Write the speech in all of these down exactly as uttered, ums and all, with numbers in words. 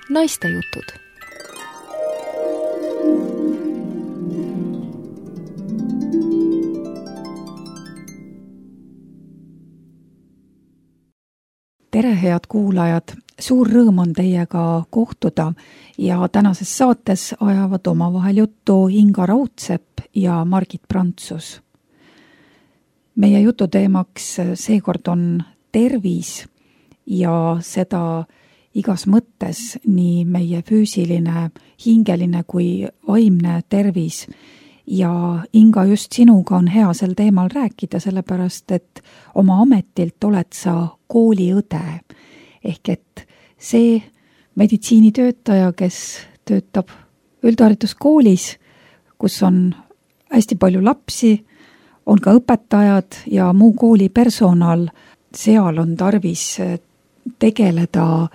Naistejutud. Tere, head kuulajad! Suur rõõm on teiega kohtuda ja tänases saates ajavad omavahel juttu Inga Raudsepp ja Margit Prantsus. Meie jututeemaks seekord on tervis ja seda igas mõttes, nii meie füüsiline, hingeline kui vaimne tervis. Ja Inga, just sinuga on hea sel teemal rääkida, sellepärast et oma ametilt oled sa kooliõde. Ehk et see meditsiinitöötaja, kes töötab üldhariduskoolis, kus on hästi palju lapsi, on ka õpetajad ja muu kooli personal, seal on tarvis tegeleda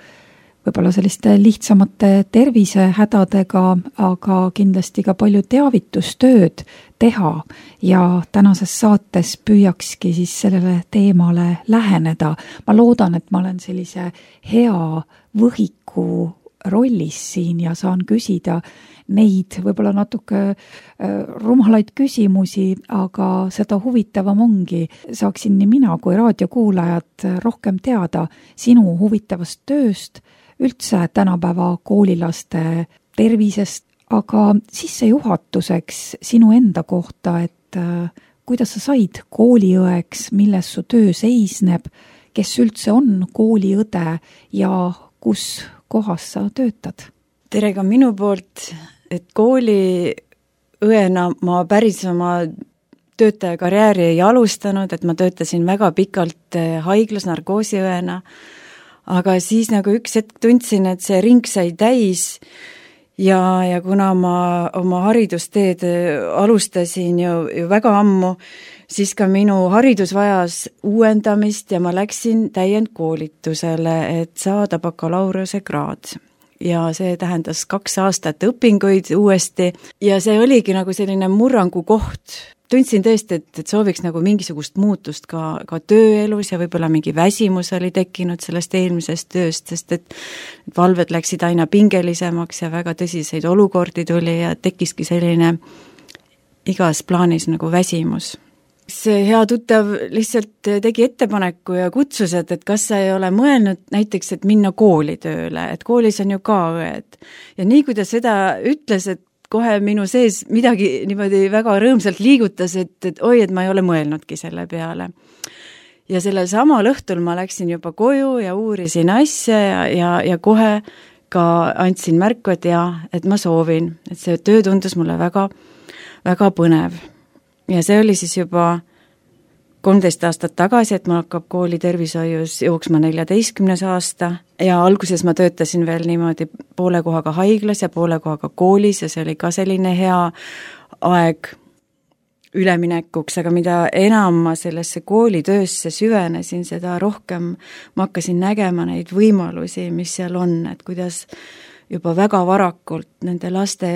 võib-olla selliste lihtsamate tervisehädadega, aga kindlasti ka palju teavitustööd teha ja tänases saates püüakski siis sellele teemale läheneda. Ma loodan, et ma olen sellise hea võhiku rollis siin ja saan küsida neid võib-olla natuke rumalaid küsimusi, aga seda huvitavam ongi. Saaksin nii mina kui raadiokuulajad rohkem teada sinu huvitavast tööst, üldse tänapäeva koolilaste tervisest, aga sissejuhatuseks sinu enda kohta, et kuidas sa said kooliõeks, milles su töö seisneb, kes üldse on kooliõde ja kus kohas sa töötad? Tere ka minu poolt, et kooliõena ma päris oma töötajakarjääri ei alustanud, et ma töötasin väga pikalt haiglas narkoosiõena, aga siis nagu üks hetk tundsin, et see ring sai täis ja, ja kuna ma oma haridusteed alustasin ju, ju väga ammu, siis ka minu haridus vajas uuendamist ja ma läksin täiendkoolitusele, et saada bakalaureuse kraad. Ja see tähendas kaks aastat õpinguid uuesti ja see oligi nagu selline murrangu koht. Tundsin tõesti, et, et sooviks nagu mingisugust muutust ka, ka tööelus ja võib-olla mingi väsimus oli tekkinud sellest eelmisest tööst, sest et valved läksid aina pingelisemaks ja väga tõsiseid olukordi tuli ja tekkiski selline igas plaanis nagu väsimus. See hea tuttav lihtsalt tegi ettepaneku ja kutsus, et, et kas sa ei ole mõelnud näiteks, et minna kooli tööle, et koolis on ju ka õed. Ja nii kui ta seda ütles, et kohe minu sees midagi niimoodi väga rõõmsalt liigutas, et, et oi, et ma ei ole mõelnudki selle peale. Ja sellel samal õhtul ma läksin juba koju ja uurisin asja ja, ja, ja kohe ka andsin märku, et ja, et ma soovin, et see töö tundus mulle väga, väga põnev. Ja see oli siis juba kolmteist aastat tagasi, et ma hakkab kooli tervishoius jooksma neljateistkümnes aasta ja alguses ma töötasin veel niimoodi poole kohaga haiglas ja poole kohaga koolis ja see oli ka selline hea aeg üleminekuks, aga mida enam ma sellesse koolitöösse süvenesin, seda rohkem ma hakkasin nägema neid võimalusi, mis seal on, et kuidas juba väga varakult nende laste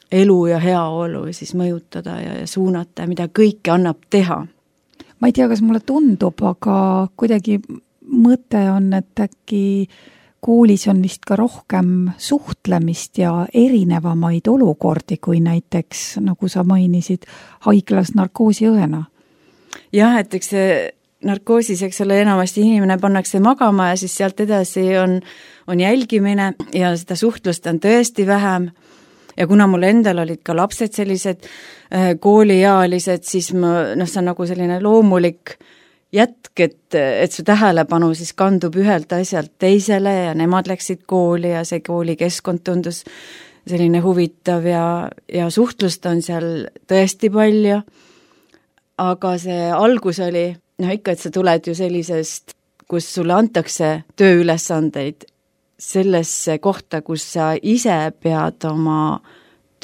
elu ja heaolu siis mõjutada ja suunata, mida kõike annab teha. Ma ei tea, kas mulle tundub, aga kuidagi mõte on, et äkki koolis on vist ka rohkem suhtlemist ja erinevamaid olukordi kui näiteks, nagu sa mainisid, haiglas narkoosiõena. Jah, et eks see narkoosis, eks ole, enamasti inimene pannakse magama ja siis sealt edasi on, on jälgimine ja seda suhtlust on tõesti vähem. Ja kuna mul endal olid ka lapsed sellised äh, kooliealised, siis ma, noh, see on nagu selline loomulik jätk, et, et su tähelepanu siis kandub ühelt asjalt teisele ja nemad läksid kooli ja see koolikeskkond tundus selline huvitav ja, ja suhtlust on seal tõesti palju. Aga see algus oli, noh ikka, et sa tuled ju sellisest, kus sulle antakse tööülesandeid sellesse kohta, kus sa ise pead oma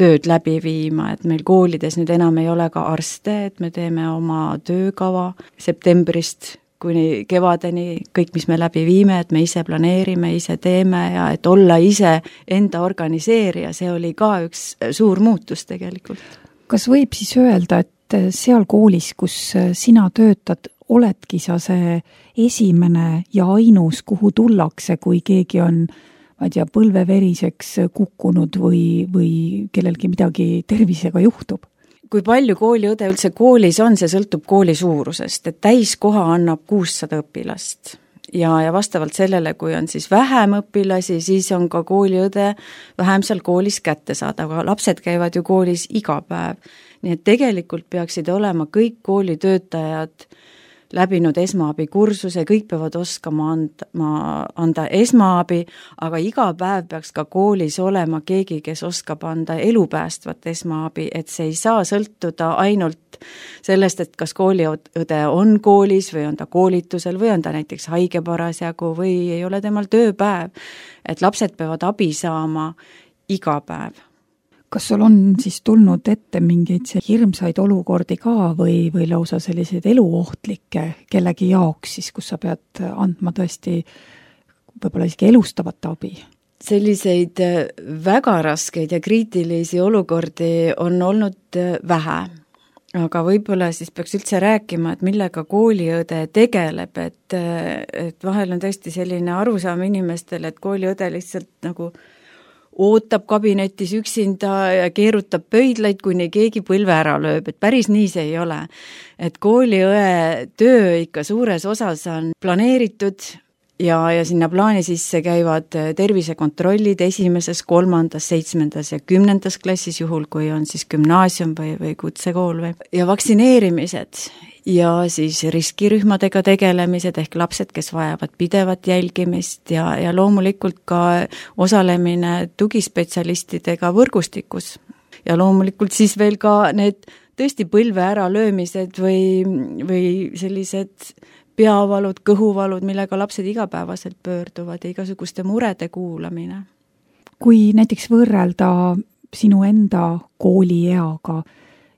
tööd läbi viima, et meil koolides nüüd enam ei ole ka arste, et me teeme oma töökava septembrist kuni kevadeni, kõik, mis me läbi viime, et me ise planeerime, ise teeme ja et olla ise enda organiseerija, see oli ka üks suur muutus tegelikult. Kas võib siis öelda, et seal koolis, kus sina töötad, oledki sa see esimene ja ainus, kuhu tullakse, kui keegi on, ma ei tea, põlveveriseks kukkunud või, või kellelgi midagi tervisega juhtub? Kui palju kooliõde üldse koolis on, see sõltub kooli suurusest, et täiskoha annab kuussada õpilast. Ja, ja vastavalt sellele, kui on siis vähem õpilasi, siis on ka kooliõde vähem seal koolis kätte saada, aga lapsed käivad ju koolis iga päev. Nii et tegelikult peaksid olema kõik koolitöötajad läbinud esmaabikursuse, kõik peavad oskama anda, anda esmaabi, aga iga päev peaks ka koolis olema keegi, kes oskab anda elupäästvat esmaabi, et see ei saa sõltuda ainult sellest, et kas kooliõde on koolis või on ta koolitusel või on ta näiteks haige parasjagu või ei ole temal tööpäev, et lapsed peavad abi saama iga päev. Kas sul on siis tulnud ette mingeid hirmsaid olukordi ka või, või lausa selliseid eluohtlikke kellegi jaoks siis, kus sa pead andma tõesti võib-olla isegi elustavat abi? Selliseid väga raskeid ja kriitilisi olukordi on olnud vähe, aga võib-olla siis peaks üldse rääkima, et millega kooliõde tegeleb, et, et vahel on tõesti selline arusaam inimestel, et kooliõde lihtsalt nagu ootab kabinetis üksinda ja keerutab pöidlaid, kuni keegi põlve ära lööb, et päris nii see ei ole. Et kooliõe töö ikka suures osas on planeeritud ja, ja sinna plaani sisse käivad tervisekontrollid esimeses, kolmandas, seitsmendas ja kümnendas klassis, juhul kui on siis gümnaasium või, või kutsekool või, ja vaktsineerimised ja siis riskirühmadega tegelemised ehk lapsed, kes vajavad pidevat jälgimist ja, ja loomulikult ka osalemine tugispetsialistidega võrgustikus. Ja loomulikult siis veel ka need tõesti põlve ära löömised või, või sellised peavalud, kõhuvalud, millega lapsed igapäevaselt pöörduvad ja igasuguste murede kuulamine. Kui näiteks võrrelda sinu enda koolieaga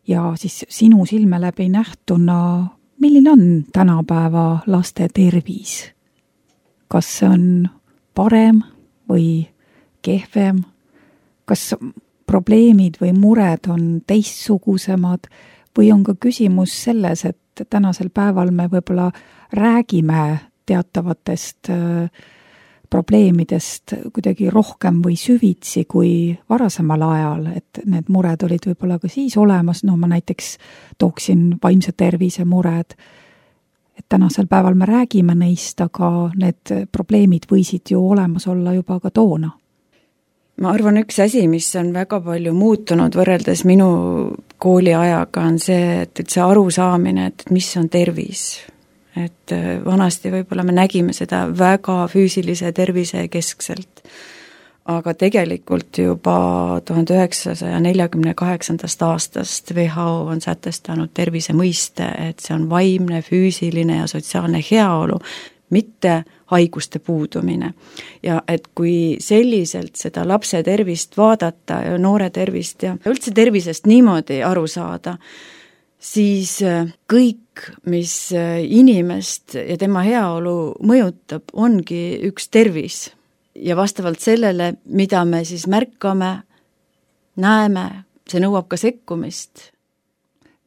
ja siis sinu silme läbi nähtuna, milline on tänapäeva laste tervis? Kas see on parem või kehvem? Kas probleemid või mured on teistsugusemad või on ka küsimus selles, et tänasel päeval me võib-olla räägime teatavatest probleemidest kuidagi rohkem või süvitsi kui varasemal ajal, et need mured olid võib-olla ka siis olemas, no ma näiteks tooksin vaimse tervise mured, et tänasel päeval me räägime neist, aga need probleemid võisid ju olemas olla juba ka toona. Ma arvan, üks asi, mis on väga palju muutunud võrreldes minu kooliajaga, on see, et üldse arusaamine, et mis on tervis. Et vanasti võib-olla me nägime seda väga füüsilise tervise keskselt, aga tegelikult juba tuhande üheksasaja neljakümne kaheksandast aastast W H O on sätestanud tervise mõiste, et see on vaimne, füüsiline ja sotsiaalne heaolu, mitte haiguste puudumine. Ja et kui selliselt seda lapse tervist vaadata ja noore tervist ja üldse tervisest niimoodi aru saada, siis kõik, mis inimest ja tema heaolu mõjutab, ongi üks tervis. Ja vastavalt sellele, mida me siis märkame, näeme, see nõuab ka sekkumist.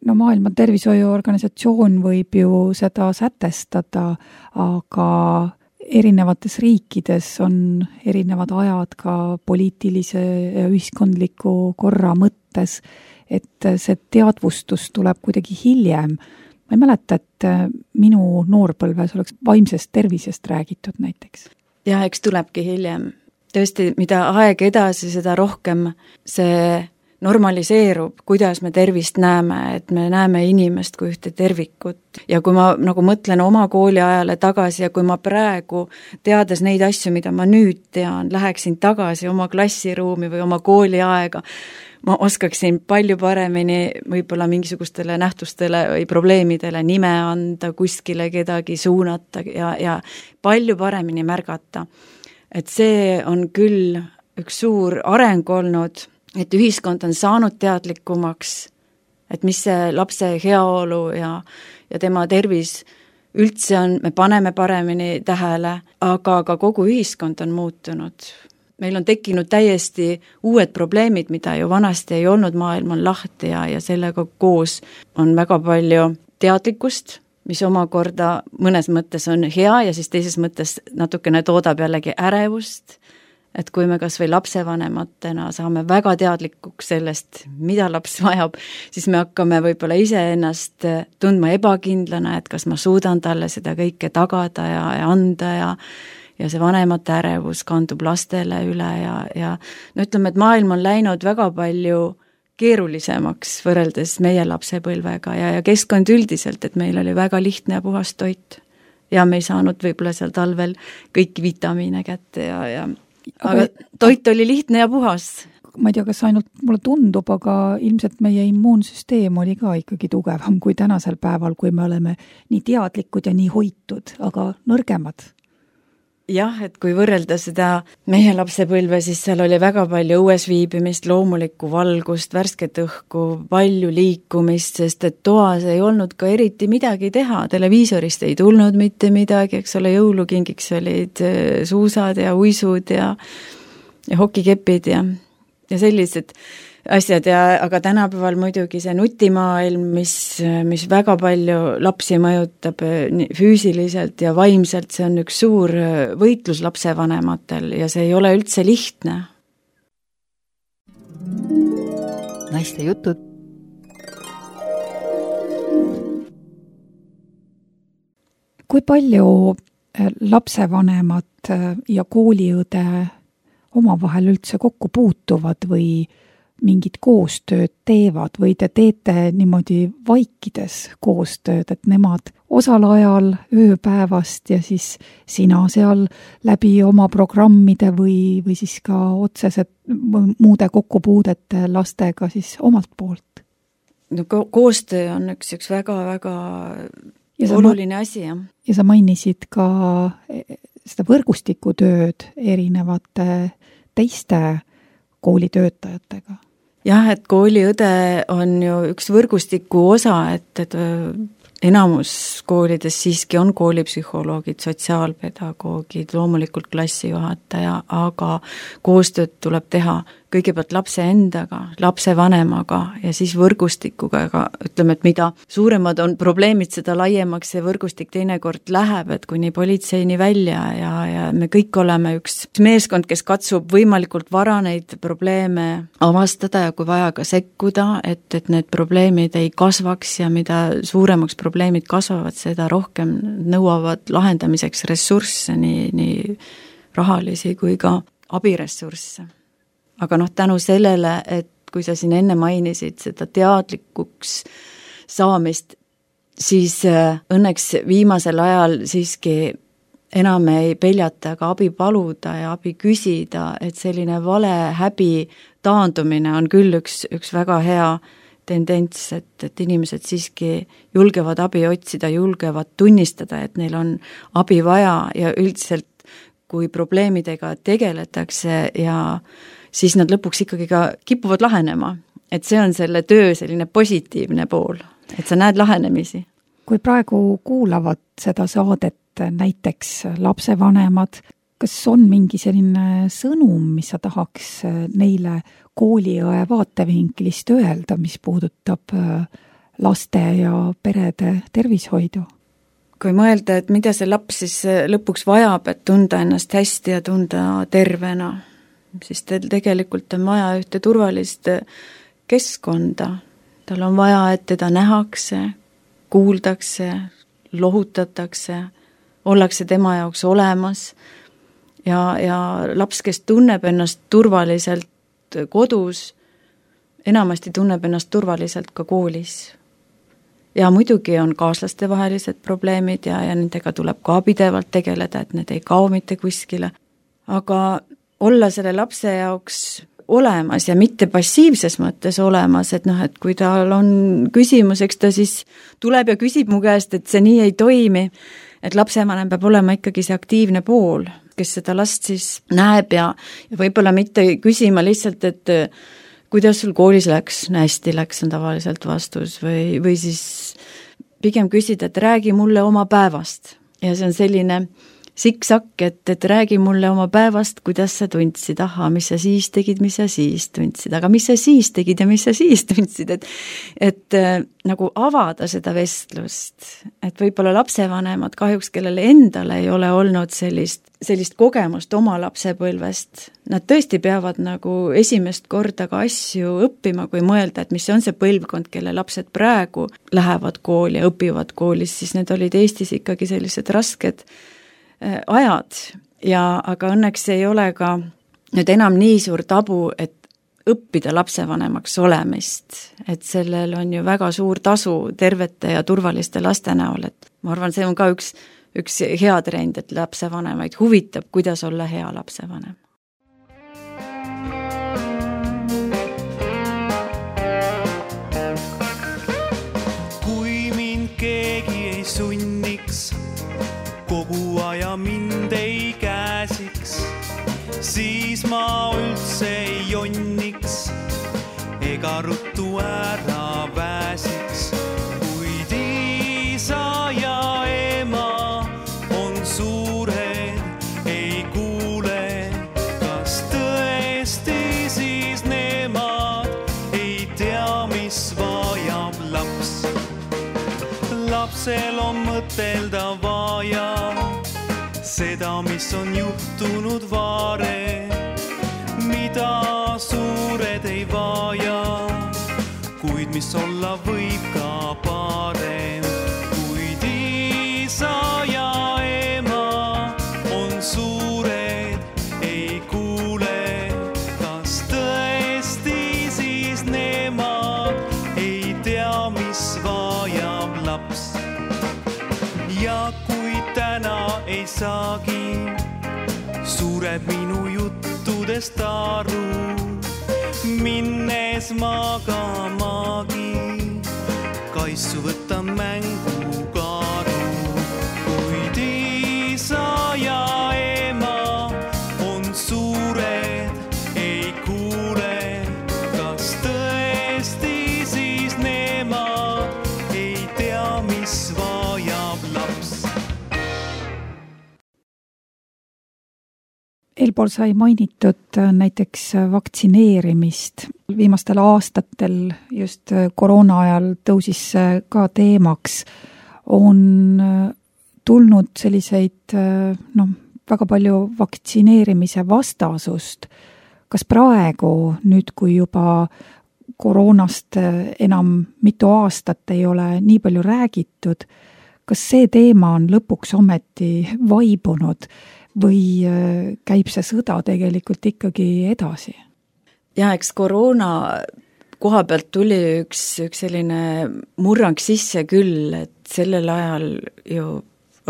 No Maailma Tervishoiuorganisatsioon võib ju seda sätestada, aga erinevates riikides on erinevad ajad ka poliitilise ja ühiskondliku korra mõttes, et see teadvustus tuleb kuidagi hiljem. Ma ei mäleta, et minu noorpõlves oleks vaimsest tervisest räägitud näiteks. Ja eks tulebki hiljem. Tõesti, mida aeg edasi, seda rohkem see normaliseerub, kuidas me tervist näeme, et me näeme inimest kui ühte tervikut. Ja kui ma nagu mõtlen oma kooliajale tagasi ja kui ma praegu, teades neid asju, mida ma nüüd tean, läheksin tagasi oma klassiruumi või oma kooliaega, ma oskaksin palju paremini võib-olla mingisugustele nähtustele või probleemidele nime anda, kuskile kedagi suunata ja, ja palju paremini märgata. Et see on küll üks suur areng olnud, et ühiskond on saanud teadlikumaks, et mis see lapse heaolu ja, ja tema tervis üldse on, me paneme paremini tähele, aga ka kogu ühiskond on muutunud. Meil on tekkinud täiesti uued probleemid, mida ju vanasti ei olnud, maailm on lahti ja, ja sellega koos on väga palju teadlikkust, mis omakorda mõnes mõttes on hea ja siis teises mõttes natukene toodab jällegi ärevust, et kui me kas või lapsevanematena saame väga teadlikuks sellest, mida laps vajab, siis me hakkame võib-olla iseennast tundma ebakindlana, et kas ma suudan talle seda kõike tagada ja, ja anda ja ja see vanemate ärevus kandub lastele üle ja, ja no ütleme, et maailm on läinud väga palju keerulisemaks võrreldes meie lapsepõlvega ja, ja keskkond üldiselt, et meil oli väga lihtne ja puhas toit. Ja me ei saanud võib-olla seal talvel kõiki vitamiine kätte ja, ja aga, aga toit oli lihtne ja puhas. Ma ei tea, kas ainult mulle tundub, aga ilmselt meie immuunsüsteem oli ka ikkagi tugevam kui tänasel päeval, kui me oleme nii teadlikud ja nii hoitud, aga nõrgemad. Jah, et kui võrrelda seda meie lapsepõlve, siis seal oli väga palju õues viibimist, loomulikku valgust, värsket õhku, palju liikumist, sest et toas ei olnud ka eriti midagi teha, televiisorist ei tulnud mitte midagi, eks ole, jõulukingiks olid suusad ja uisud ja, ja hokikepid ja, ja sellised asjad ja aga tänapäeval muidugi see nutimaailm, mis, mis väga palju lapsi mõjutab füüsiliselt ja vaimselt, see on üks suur võitlus lapsevanematel ja see ei ole üldse lihtne. Naiste jutud. Kui palju lapsevanemad ja kooliõde omavahel üldse kokku puutuvad või mingid koostööd teevad või te teete niimoodi vaikides koostööd, et nemad osal ajal ööpäevast ja siis sina seal läbi oma programmide või, või siis ka otsesed muude kokkupuudete lastega siis omalt poolt? No ko- koostöö on üks, üks väga-väga oluline ma, asi, jah. Ja sa mainisid ka seda võrgustikutööd erinevate teiste koolitöötajatega. Jah, et kooliõde on ju üks võrgustiku osa, et, et enamus koolides siiski on koolipsühholoogid, sotsiaalpedagoogid, loomulikult klassijuhataja, aga koostööd tuleb teha kõigepealt lapse endaga, lapsevanemaga ja siis võrgustikuga, aga ütleme, et mida suuremad on probleemid, seda laiemaks see võrgustik teinekord läheb, et kuni politseini välja ja, ja me kõik oleme üks meeskond, kes katsub võimalikult vara neid probleeme avastada ja kui vaja ka sekkuda, et, et need probleemid ei kasvaks ja mida suuremaks probleemid kasvavad, seda rohkem nõuavad lahendamiseks ressursse, nii, nii rahalisi kui ka abiressursse. Aga noh, tänu sellele, et kui sa siin enne mainisid seda teadlikuks saamist, siis õnneks viimasel ajal siiski enam ei peljata ka abi paluda ja abi küsida, et selline vale häbi taandumine on küll üks, üks väga hea tendents, et, et inimesed siiski julgevad abi otsida, julgevad tunnistada, et neil on abi vaja ja üldiselt, kui probleemidega tegeletakse ja siis nad lõpuks ikkagi ka kipuvad lahenema. Et see on selle töö selline positiivne pool, et sa näed lahenemisi. Kui praegu kuulavad seda saadet näiteks lapsevanemad, kas on mingi selline sõnum, mis sa tahaks neile kooliõe vaatevinklist öelda, mis puudutab laste ja perede tervishoidu? Kui mõelda, et mida see laps siis lõpuks vajab, et tunda ennast hästi ja tunda tervena, siis teil tegelikult on vaja ühte turvalist keskkonda. Tal on vaja, et teda nähakse, kuuldakse, lohutatakse, ollakse tema jaoks olemas ja, ja laps, kes tunneb ennast turvaliselt kodus, enamasti tunneb ennast turvaliselt ka koolis. Ja muidugi on kaaslastevahelised probleemid ja, ja nendega tuleb ka pidevalt tegeleda, et need ei kao mitte kuskile. Aga olla selle lapse jaoks olemas ja mitte passiivses mõttes olemas, et noh, et kui tal on küsimus, eks ta siis tuleb ja küsib mu käest, et see nii ei toimi, et lapsevanem peab olema ikkagi see aktiivne pool, kes seda last siis näeb ja, ja võib-olla mitte küsima lihtsalt, et kuidas sul koolis läks, hästi läks, on tavaliselt vastus või, või siis pigem küsida, et räägi mulle oma päevast ja see on selline siksak, et, et räägi mulle oma päevast, kuidas sa tundsid, aha, mis sa siis tegid, mis sa siis tundsid, aga mis sa siis tegid ja mis sa siis tundsid, et et äh, nagu avada seda vestlust, et võib-olla lapsevanemad kahjuks, kellele endale ei ole olnud sellist, sellist kogemust oma lapsepõlvest, nad tõesti peavad nagu esimest korda ka asju õppima, kui mõelda, et mis on see põlvkond, kelle lapsed praegu lähevad kooli ja õpivad koolis, siis need olid Eestis ikkagi sellised rasked ajad ja aga õnneks ei ole ka nüüd enam nii suur tabu, et õppida lapsevanemaks olemist, et sellel on ju väga suur tasu tervete ja turvaliste laste näol, et ma arvan, see on ka üks, üks hea trend, et lapsevanemaid huvitab, kuidas olla hea lapsevanem. Kui mind keegi ei sunniks, kogu aja mind ei käsiks, siis ma üldse ei jonniks ega ruttu ära pääsiks. Kuid isa ja ema on suured, ei kuule, kas tõesti siis nemad ei tea, mis vajab laps. Lapsel on mõtelda vaja seda, mis on juhtunud varem, mida suured ei vaja, kuid mis olla võib ka parem. Kuid isa ja ema on suured, ei kuule, kas tõesti siis nemad ei tea, mis vajab laps. Ja kui täna ei saagi suured minu juttudest aru, minnes magamagi, kaisu võtan mängu kaaru. Kuid isa ja ema on suured, ei kuule, kas tõesti siis nemad ei tea, mis vajab laps. Eelpool sai mainitud näiteks vaktsineerimist. Viimastel aastatel just koroona ajal tõusis ka teemaks. On tulnud selliseid noh, väga palju vaktsineerimise vastasust. Kas praegu, nüüd kui juba koroonast enam mitu aastat ei ole nii palju räägitud, kas see teema on lõpuks ometi vaibunud või käib see sõda tegelikult ikkagi edasi? Ja eks koroona koha pealt tuli üks, üks selline murrang sisse küll, et sellel ajal ju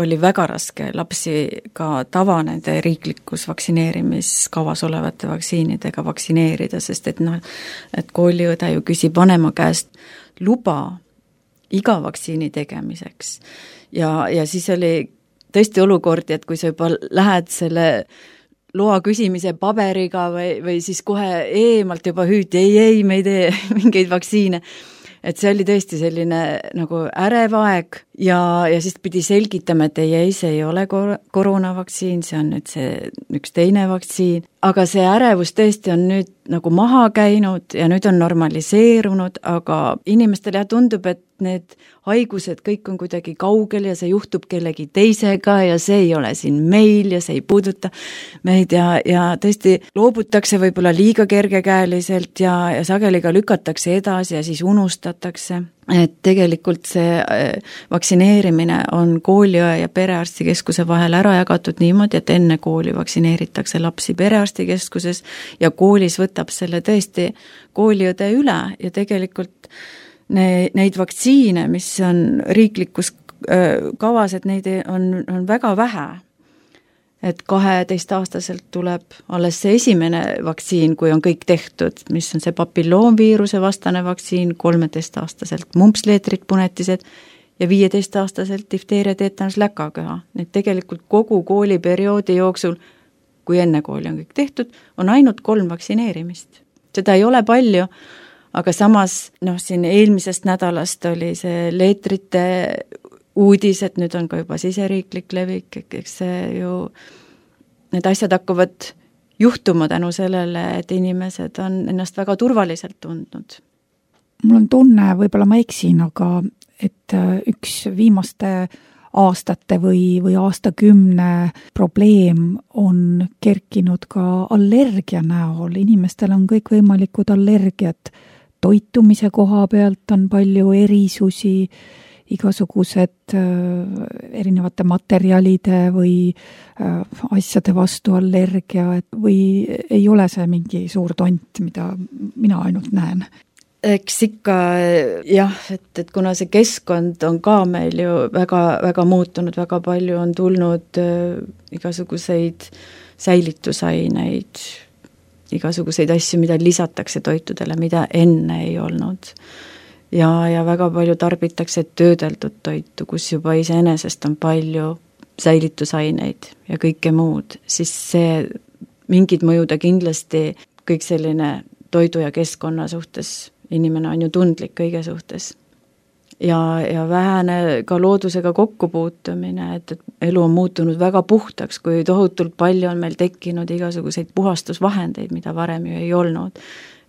oli väga raske lapsi ka tavanede riiklikus vaktsineerimiskavas olevate vaktsiinidega vaktsineerida, sest et noh, et kooliõde ju küsib vanema käest luba iga vaktsiini tegemiseks. Ja, ja siis oli tõesti olukordi, et kui sa juba lähed selle loa küsimise paberiga või, või siis kohe eemalt juba hüüti, ei, ei, me ei tee mingeid vaktsiine. Et see oli tõesti selline nagu ärev aeg ja, ja siis pidi selgitama, et ei, ei, see ei ole kor- koroonavaktsiin, see on nüüd see üks teine vaktsiin. Aga see ärevus tõesti on nüüd nagu maha käinud ja nüüd on normaliseerunud, aga inimestele tundub, et need haigused kõik on kuidagi kaugel ja see juhtub kellegi teisega ja see ei ole siin meil ja see ei puuduta meid ja, ja tõesti loobutakse võib-olla liiga kergekäeliselt ja, ja sageli ka lükatakse edasi ja siis unustatakse. Et tegelikult see vaktsineerimine on kooliõe ja perearstikeskuse vahel ära jagatud niimoodi, et enne kooli vaktsineeritakse lapsi perearstikeskuses ja koolis võtab selle tõesti kooliõde üle ja tegelikult ne, neid vaktsiine, mis on riiklikus kavas, et neid on, on väga vähe. Et kaheteistaastaselt tuleb alles see esimene vaktsiin, kui on kõik tehtud, mis on see papilloomviiruse vastane vaktsiin, kolmeteistaastaselt mumpsleetrid, punetised ja viieteistaastaselt difteeria, teetanus, läkaköha. Need tegelikult kogu kooliperioodi jooksul, kui enne kooli on kõik tehtud, on ainult kolm vaktsineerimist. Seda ei ole palju, aga samas noh, siin eelmisest nädalast oli see leetrite uudis, et nüüd on ka juba siseriiklik levik, eks see ju, need asjad hakkavad juhtuma tänu sellele, et inimesed on ennast väga turvaliselt tundnud. Mul on tunne, võib-olla ma eksin, aga et üks viimaste aastate või, või aastakümne probleem on kerkinud ka allergia näol. Inimestel on kõikvõimalikud allergiad. Toitumise koha pealt on palju erisusi, igasugused äh, erinevate materjalide või äh, asjade vastu allergia, et või ei ole see mingi suur tont, mida mina ainult näen? Eks ikka jah, et, et kuna see keskkond on ka meil ju väga, väga muutunud, väga palju on tulnud äh, igasuguseid säilitusaineid, igasuguseid asju, mida lisatakse toitudele, mida enne ei olnud. Ja, ja väga palju tarbitakse töödeldud toitu, kus juba iseenesest on palju säilitusaineid ja kõike muud, siis see mingid mõjuda kindlasti kõik selline toidu ja keskkonna suhtes. Inimene on ju tundlik kõige suhtes. Ja, ja vähene ka loodusega kokkupuutumine, et, et elu on muutunud väga puhtaks, kui tohutult palju on meil tekkinud igasuguseid puhastusvahendeid, mida varem ju ei olnud.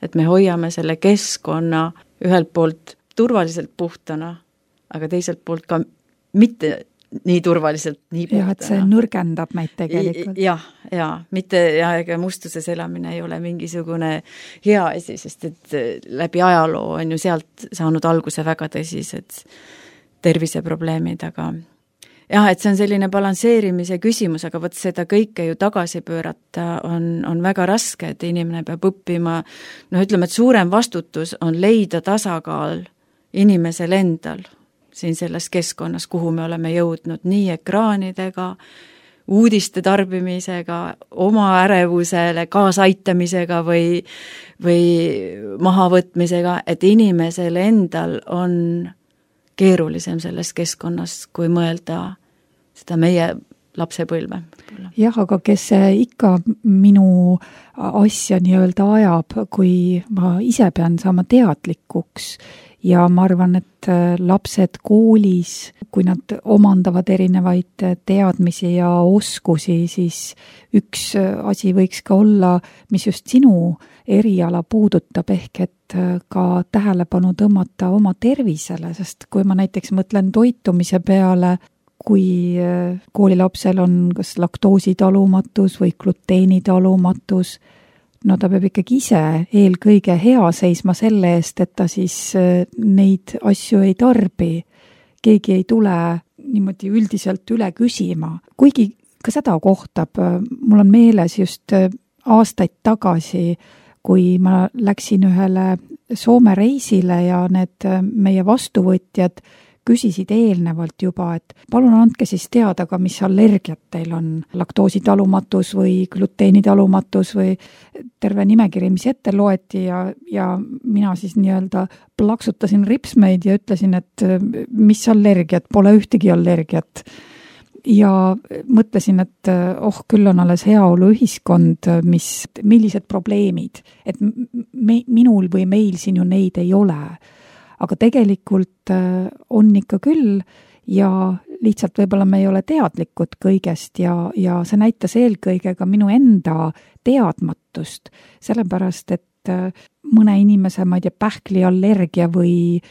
Et me hoiame selle keskkonna ühelt poolt turvaliselt puhtana, aga teiselt poolt ka mitte nii turvaliselt, nii puhtana. Jah, et see nõrgendab meid tegelikult. Jah, ja, mitte ja ega mustuses elamine ei ole mingisugune hea asi, sest et läbi ajaloo on ju sealt saanud alguse väga tõsised terviseprobleemid, aga jah, et see on selline balansseerimise küsimus, aga võt seda kõike ju tagasi pöörata on, on väga raske, et inimene peab õppima, noh ütleme, et suurem vastutus on leida tasakaal inimesel endal siin selles keskkonnas, kuhu me oleme jõudnud nii ekraanidega, uudiste tarbimisega, oma ärevusele kaasaitamisega või, või mahavõtmisega, et inimesel endal on keerulisem selles keskkonnas, kui mõelda seda meie lapsepõlve. Jah, aga kes ikka minu asja nii-öelda ajab, kui ma ise pean saama teadlikuks ja ma arvan, et lapsed koolis, kui nad omandavad erinevaid teadmisi ja oskusi, siis üks asi võiks ka olla, mis just sinu eriala puudutab, ehk et ka tähelepanu tõmmata oma tervisele, sest kui ma näiteks mõtlen toitumise peale, kui koolilapsel on kas laktoositalumatus või gluteenitalumatus, no ta peab ikkagi ise eelkõige hea seisma selle eest, et ta siis neid asju ei tarbi. Keegi ei tule niimoodi üldiselt üle küsima. Kuigi ka seda kohtab, mul on meeles just aastaid tagasi, kui ma läksin ühele Soome reisile ja need meie vastuvõtjad küsisid eelnevalt juba, et palun andke siis teada ka, mis allergiat teil on, laktoositalumatus või gluteenitalumatus või terve nimekiri, mis ette loeti ja, ja mina siis nii-öelda plaksutasin ripsmeid ja ütlesin, et mis allergiat, pole ühtegi allergiat. Ja mõtlesin, et oh, küll on alles heaolu ühiskond, mis, millised probleemid, et me, minul või meil siin ju neid ei ole. Aga tegelikult on ikka küll ja lihtsalt võib-olla me ei ole teadlikud kõigest ja, ja see näitas eelkõige ka minu enda teadmatust, sellepärast et mõne inimese, ma ei tea, pähkliallergia või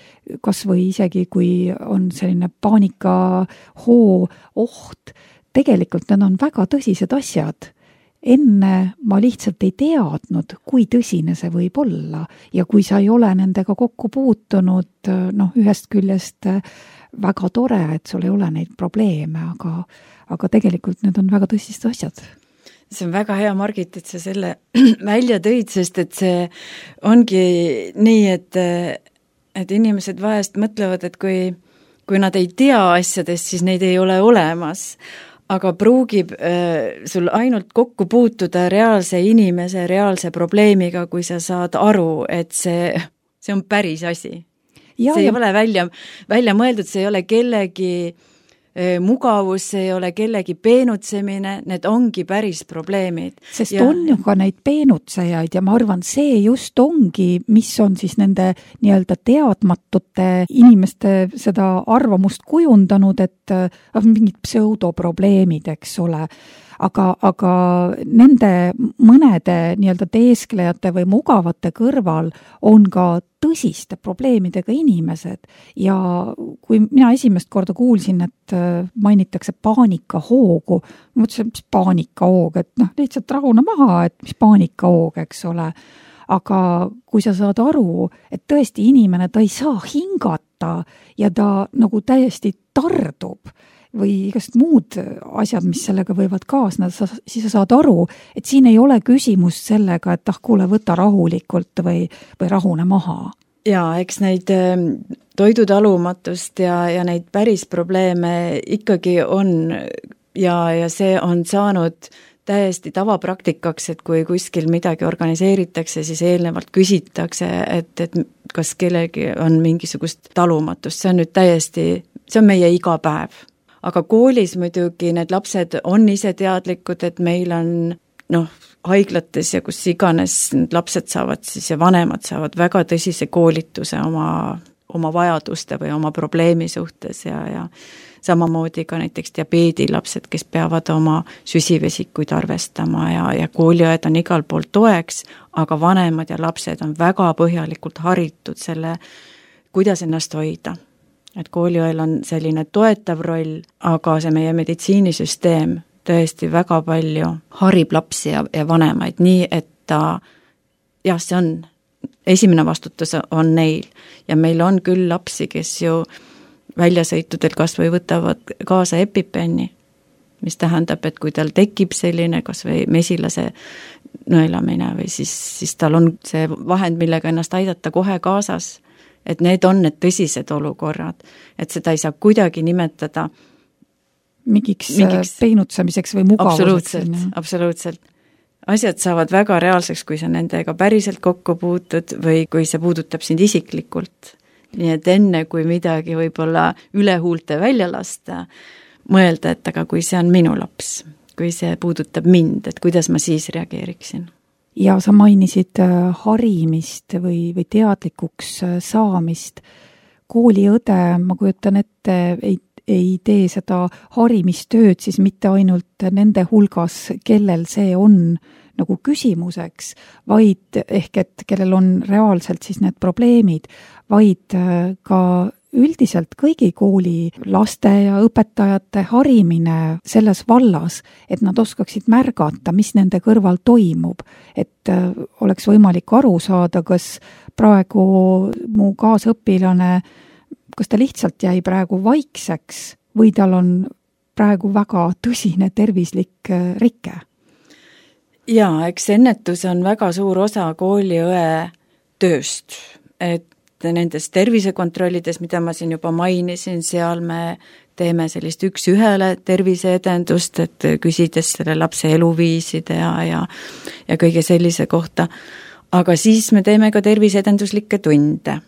kas või isegi kui on selline paanikahoo oht, tegelikult need on väga tõsised asjad. Enne ma lihtsalt ei teadnud, kui tõsine see võib olla ja kui sa ei ole nendega kokku puutunud, noh, ühest küljest väga tore, et sul ei ole neid probleeme, aga, aga tegelikult need on väga tõsised asjad. See on väga hea, Margit, et sa selle välja tõid, sest et see ongi nii, et, et inimesed vahest mõtlevad, et kui, kui nad ei tea asjadest, siis neid ei ole olemas. Aga pruugib äh, sul ainult kokku puutuda reaalse inimese, reaalse probleemiga, kui sa saad aru, et see, see on päris asi. Ja, see ei ja... ole välja, välja mõeldud, see ei ole kellegi mugavus, ei ole kellegi peenutsemine, need ongi päris probleemid. Sest ja... on ju ka neid peenutsejaid ja ma arvan, see just ongi, mis on siis nende nii-öelda teadmatute inimeste seda arvamust kujundanud, et äh, mingid pseudoprobleemid, eks ole. Aga, aga nende mõnede nii-öelda teesklejate või mugavate kõrval on ka tõsiste probleemidega inimesed ja kui mina esimest korda kuulsin, et mainitakse paanikahoogu, ma mõtlesin, mis paanikahoog, et noh, lihtsalt rahune maha, et mis paanikahoog, eks ole. Aga kui sa saad aru, et tõesti inimene, ta ei saa hingata ja ta nagu täiesti tardub, või igast muud asjad, mis sellega võivad kaasneda, siis sa saad aru, et siin ei ole küsimus sellega, et ah, kuule, võta rahulikult või, või rahune maha. Jaa, eks neid toidutalumatust ja, ja neid päris probleeme ikkagi on ja, ja see on saanud täiesti tavapraktikaks, et kui kuskil midagi organiseeritakse, siis eelnevalt küsitakse, et, et kas kellegi on mingisugust talumatust. See on nüüd täiesti, see on meie iga päev. Aga koolis muidugi need lapsed on ise teadlikud, et meil on noh, haiglates ja kus iganes need lapsed saavad siis ja vanemad saavad väga tõsise koolituse oma, oma vajaduste või oma probleemi suhtes ja, ja samamoodi ka näiteks diabeedilapsed, kes peavad oma süsivesikuid arvestama ja, ja kooliõed on igal pool toeks, aga vanemad ja lapsed on väga põhjalikult haritud selle, kuidas ennast hoida. Et kooliõel on selline toetav roll, aga see meie meditsiinisüsteem tõesti väga palju harib lapsi ja, ja vanemaid, nii et ta, jah, see on, esimene vastutus on neil ja meil on küll lapsi, kes ju väljasõitudel kas või võtavad kaasa EpiPeni, mis tähendab, et kui tal tekib selline kas või mesilase nõelamine või siis, siis tal on see vahend, millega ennast aidata kohe kaasas, et need on need tõsised olukorrad, et seda ei saa kuidagi nimetada mingiks, mingiks peenutsemiseks või mugavuseks. Absoluutselt, absoluutselt. Asjad saavad väga reaalseks, kui sa nendega päriselt kokku puutud või kui see puudutab sind isiklikult. Nii et enne, kui midagi võib-olla üle huulte välja lasta, mõelda, et aga kui see on minu laps, kui see puudutab mind, et kuidas ma siis reageeriksin. Ja sa mainisid harimist või, või teadlikuks saamist. Kooliõde, ma kujutan ette, ei, ei tee seda harimistööd siis mitte ainult nende hulgas, kellel see on nagu küsimuseks, vaid ehk et kellel on reaalselt siis need probleemid, vaid ka üldiselt kõigi kooli laste ja õpetajate harimine selles vallas, et nad oskaksid märgata, mis nende kõrval toimub, et oleks võimalik aru saada, kas praegu mu kaasõpilane, kas ta lihtsalt jäi praegu vaikseks või tal on praegu väga tõsine tervislik rike. Jaa, eks ennetus on väga suur osa kooliõe tööst, et nendes tervisekontrollides, mida ma siin juba mainisin, seal me teeme sellist üks ühele terviseedendust, et küsides selle lapse eluviiside ja, ja, ja kõige sellise kohta. Aga siis me teeme ka terviseedenduslikke tunde,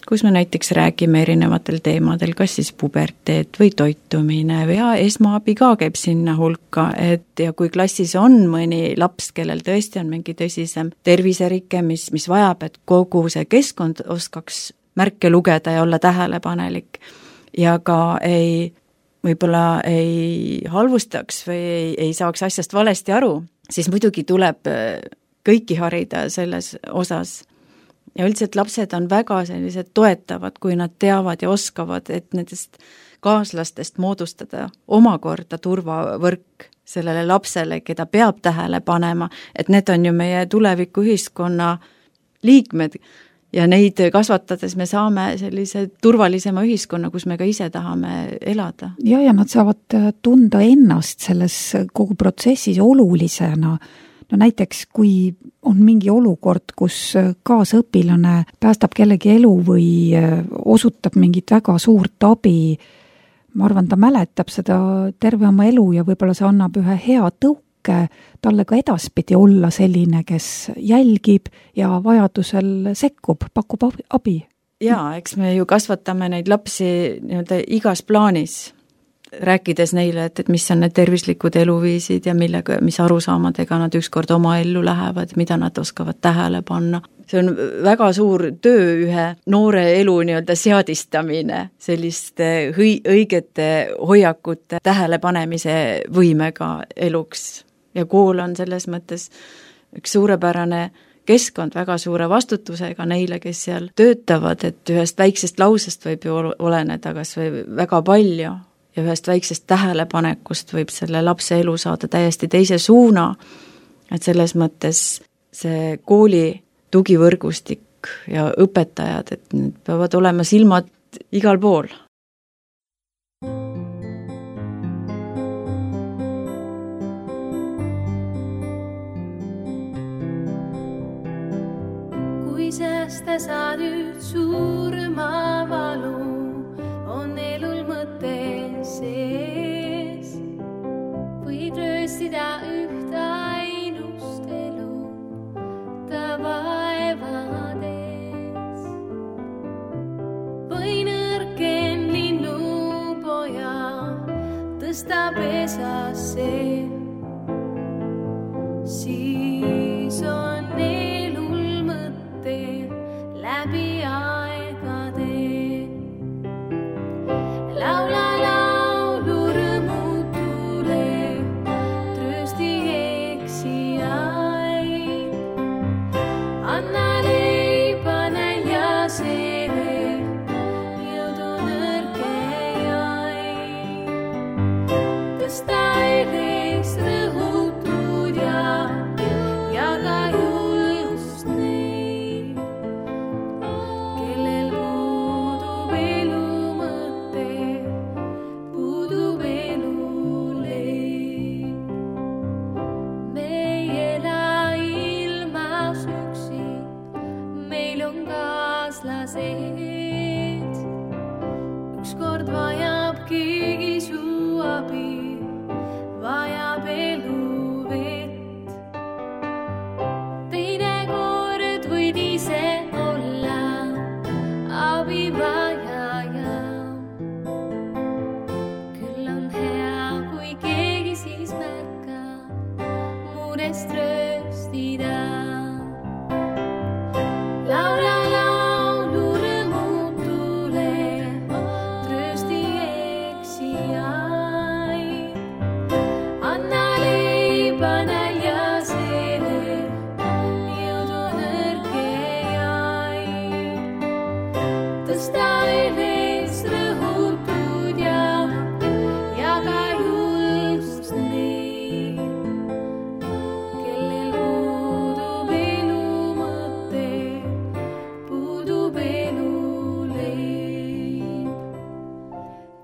kus me näiteks räägime erinevatel teemadel, kas siis puberteet või toitumine või ja esmaabi ka käib sinna hulka, et ja kui klassis on mõni laps, kellel tõesti on mingi tõsisem terviserike, mis, mis vajab, et kogu see keskkond oskaks märke lugeda ja olla tähelepanelik ja ka ei, võib-olla ei halvustaks või ei, ei saaks asjast valesti aru, siis muidugi tuleb kõiki harida selles osas. Ja üldiselt lapsed on väga sellised toetavad, kui nad teavad ja oskavad, et nendest kaaslastest moodustada omakorda turvavõrk sellele lapsele, keda peab tähele panema, et need on ju meie tuleviku ühiskonna liikmed ja neid kasvatades me saame sellise turvalisema ühiskonna, kus me ka ise tahame elada. Ja, ja nad saavad tunda ennast selles kogu protsessis olulisena. No näiteks, kui on mingi olukord, kus kaasõpilane päästab kellegi elu või osutab mingit väga suurt abi, ma arvan, ta mäletab seda terve oma elu ja võib-olla see annab ühe hea tõuke talle ka edaspidi olla selline, kes jälgib ja vajadusel sekkub, pakub abi. Jaa, eks me ju kasvatame neid lapsi nii-öelda igas plaanis. rääkides neile, et, et mis on need tervislikud eluviisid ja millega, mis arusaamadega nad ükskord oma ellu lähevad, mida nad oskavad tähele panna. See on väga suur töö ühe noore elu nii-öelda seadistamine selliste hõi, õigete hoiakute tähelepanemise võimega eluks. Ja kool on selles mõttes üks suurepärane keskkond väga suure vastutusega neile, kes seal töötavad, et ühest väiksest lausest võib ju oleneda kas või väga palju ja ühest väiksest tähelepanekust võib selle lapse elu saada täiesti teise suuna, et selles mõttes see kooli tugivõrgustik ja õpetajad, et need peavad olema silmad igal pool. Kui säästa saad nüüd suurma valu, on elul mõte sees. Võid rööstida üht ainust elu ta vaevades. Või nõrken linnupoja tõsta pesasse, siis on elul mõte läbi aegade. Laula laulu rõõmutule, tröösti eksijaid. Anna leiba näljasele, jõudu nõrkejaid. Tõsta eles rõhutud ja jaga julgust neid, kellel puudub elu mõte, puudub elu leib. Me ei ela ilmas üksi, meil on kaaslased. Ükskord vajab keegi su abi, vajab elu vett. Teine kord võid ise olla abivajaja. Küll on hea, kui keegi siis märkab murest rööstida. Laula laulu rõõmutule, tröösti eksijaid. Anna leiba näljasele, jõudu nõrkejaid. Tõsta eles rõhutud ja jaga julgust neid, kellel puudub elu mõte, puudub elu leib.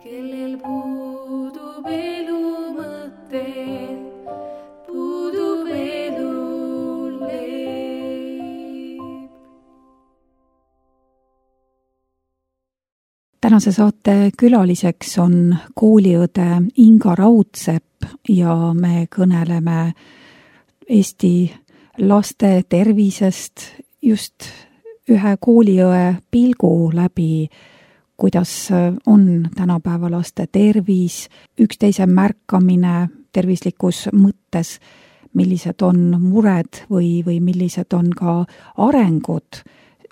Kellel puudub elu mõte, puudub elu leib. Tänase saate külaliseks on kooliõde Inga Raudsepp ja me kõneleme Eesti laste tervisest just ühe kooliõe pilgu läbi, kuidas on tänapäeva laste tervis, üksteise märkamine tervislikus mõttes, millised on mured või, või millised on ka arengud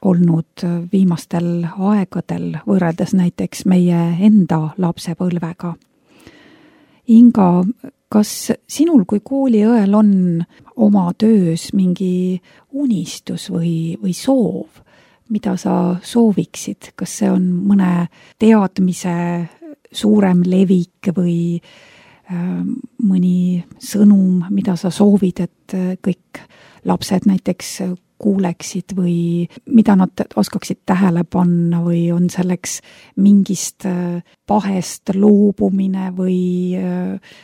olnud viimastel aegadel võrreldes näiteks meie enda lapsepõlvega. Inga, kas sinul kui kooliõel on oma töös mingi unistus või, või soov, mida sa sooviksid? Kas see on mõne teadmise suurem levik või äh, mõni sõnum, mida sa soovid, et kõik lapsed näiteks kuuleksid või mida nad oskaksid tähele panna või on selleks mingist pahest loobumine või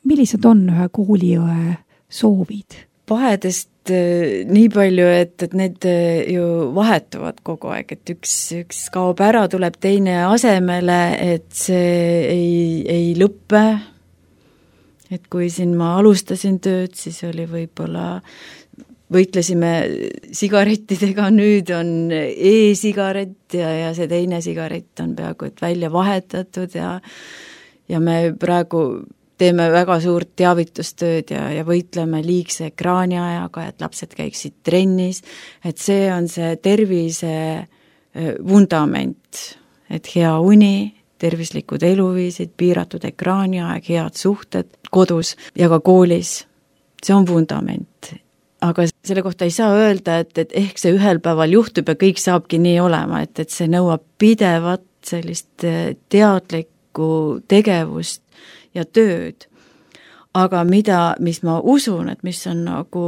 millised on ühe kooliõe soovid? Pahedest nii palju, et, et need ju vahetuvad kogu aeg, et üks, üks kaob ära, tuleb teine asemele, et see ei, ei lõppe. Et kui siin ma alustasin tööd, siis oli võib-olla võitlesime sigarettidega, nüüd on e-sigaret ja, ja see teine sigaret on peaaegu et välja vahetatud ja ja me praegu teeme väga suurt teavitustööd ja, ja võitleme liigse ekraaniajaga, et lapsed käiksid trennis, et see on see tervise vundament, et hea uni, tervislikud eluviisid, piiratud ekraaniaeg, head suhted kodus ja ka koolis, see on vundament. Aga selle kohta ei saa öelda, et, et ehk see ühel päeval juhtub ja kõik saabki nii olema, et, et see nõuab pidevat sellist teadlikku tegevust ja tööd. Aga mida, mis ma usun, et mis on nagu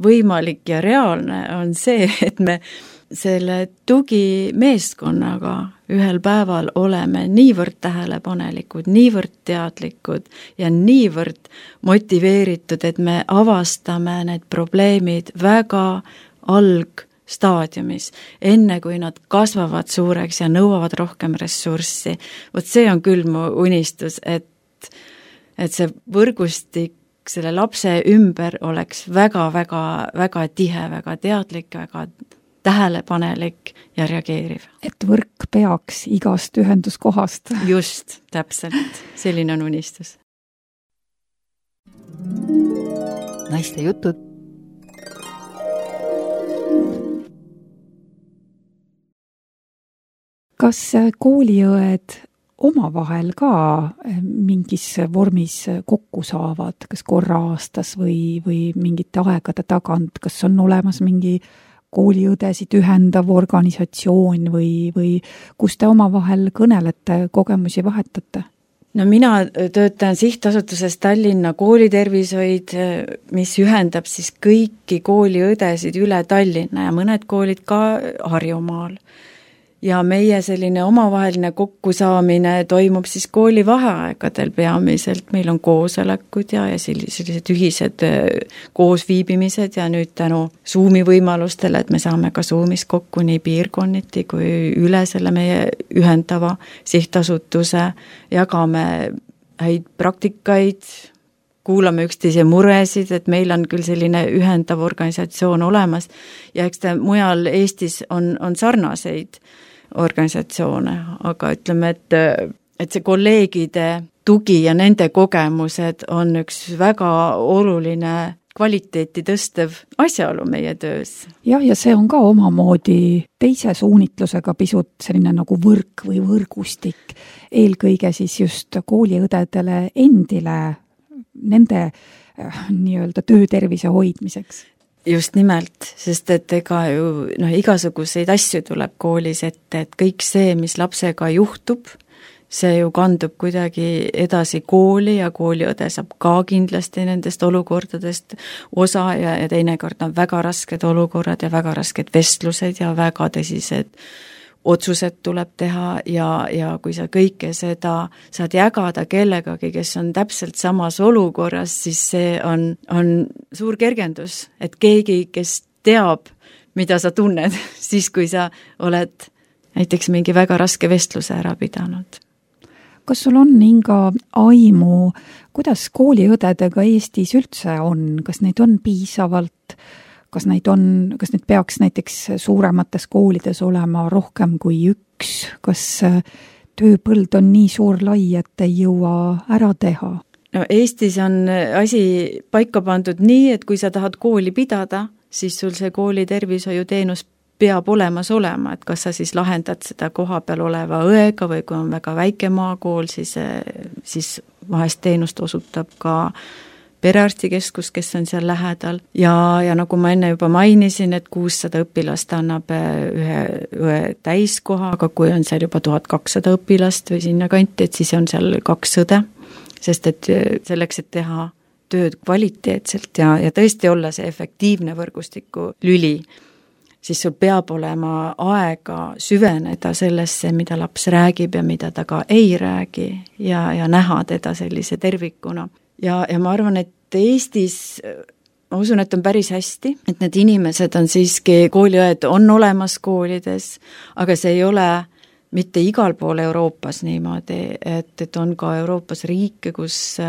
võimalik ja reaalne, on see, et me selle tugimeeskonnaga ühel päeval oleme niivõrd tähelepanelikud, niivõrd teadlikud ja niivõrd motiveeritud, et me avastame need probleemid väga algstaadiumis, enne kui nad kasvavad suureks ja nõuavad rohkem ressurssi. Vot see on küll mu unistus, et et see võrgustik selle lapse ümber oleks väga-väga väga tihe, väga teadlik, väga tähelepanelik ja reageeriv. Et võrk peaks igast ühenduskohast. Just, täpselt. Selline on unistus. Naiste jutud. Kas kooliõed omavahel ka mingis vormis kokku saavad, kas korra aastas või, või mingite aegade tagant, kas on olemas mingi kooliõdesid ühendav organisatsioon või, või kus te omavahel kõnelete, kogemusi vahetate? No mina töötan sihtasutuses Tallinna koolitervishoid, mis ühendab siis kõiki kooliõdesid üle Tallinna ja mõned koolid ka Harjumaal. Ja meie selline omavaheline kokkusaamine toimub siis kooli vaheaegadel peamiselt, meil on koosolekud ja, ja sellised ühised koosviibimised ja nüüd tänu Zoomi võimalustele, et me saame ka Zoomis kokku nii piirkonniti kui üle selle meie ühendava sihtasutuse, jagame häid praktikaid, kuulame üksteise muresid, et meil on küll selline ühendav organisatsioon olemas ja eks ta mujal Eestis on, on sarnaseid organisatsioone, aga ütleme, et, et see kolleegide tugi ja nende kogemused on üks väga oluline kvaliteeti tõstev asjaolu meie töös. Jah, ja see on ka omamoodi teise suunitlusega pisut selline nagu võrk või võrgustik, eelkõige siis just kooliõdedele endile, nende äh, nii-öelda töötervise hoidmiseks. Just nimelt, sest et ega ju noh, igasuguseid asju tuleb koolis ette, et kõik see, mis lapsega juhtub, see ju kandub kuidagi edasi kooli ja kooliõde saab ka kindlasti nendest olukordadest osa ja, ja teinekord on väga rasked olukorrad ja väga rasked vestlused ja väga tõsised otsused tuleb teha ja, ja kui sa kõike seda saad jagada kellegagi, kes on täpselt samas olukorras, siis see on, on suur kergendus, et keegi, kes teab, mida sa tunned, siis kui sa oled näiteks mingi väga raske vestluse ära pidanud. Kas sul on Inga aimu, kuidas kooliõdedega Eestis üldse on, kas neid on piisavalt? Kas neid on, kas neid peaks näiteks suuremates koolides olema rohkem kui üks, kas tööpõld on nii suur lai, et ei jõua ära teha? No Eestis on asi paika pandud nii, et kui sa tahad kooli pidada, siis sul see kooli tervishoiuteenus peab olemas olema, et kas sa siis lahendad seda koha peal oleva õega või kui on väga väike maakool, siis, siis vahest teenust osutab ka perearstikeskus, kes on seal lähedal ja, ja nagu ma enne juba mainisin, et kuussada õpilast annab ühe õe täiskoha, aga kui on seal juba tuhat kakssada õpilast või sinna kanti, et siis on seal kaks õde, sest et selleks, et teha tööd kvaliteetselt ja, ja tõesti olla see efektiivne võrgustiku lüli, siis sul peab olema aega süveneda sellesse, mida laps räägib ja mida ta ka ei räägi ja, ja näha teda sellise tervikuna. Ja, ja ma arvan, et Eestis, ma usun, et on päris hästi, et need inimesed on siiski, kooliõed on olemas koolides, aga see ei ole mitte igal pool Euroopas niimoodi, et, et on ka Euroopas riike, kus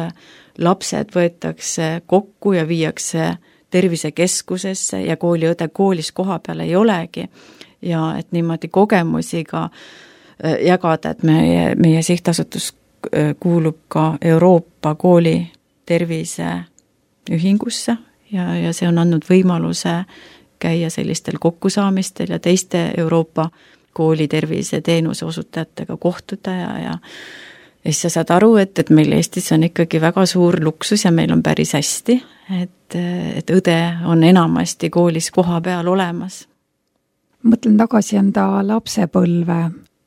lapsed võetakse kokku ja viiakse tervisekeskusesse ja kooliõde koolis koha peal ei olegi ja et niimoodi kogemusi ka jagada, et meie, meie sihtasutus kuulub ka Euroopa kooli tervise ühingusse ja, ja see on andnud võimaluse käia sellistel kokkusaamistel ja teiste Euroopa kooli tervise teenuse osutajatega kohtuda ja, ja ja siis sa saad aru, et, et meil Eestis on ikkagi väga suur luksus ja meil on päris hästi, et, et õde on enamasti koolis koha peal olemas. Mõtlen tagasi enda lapsepõlve,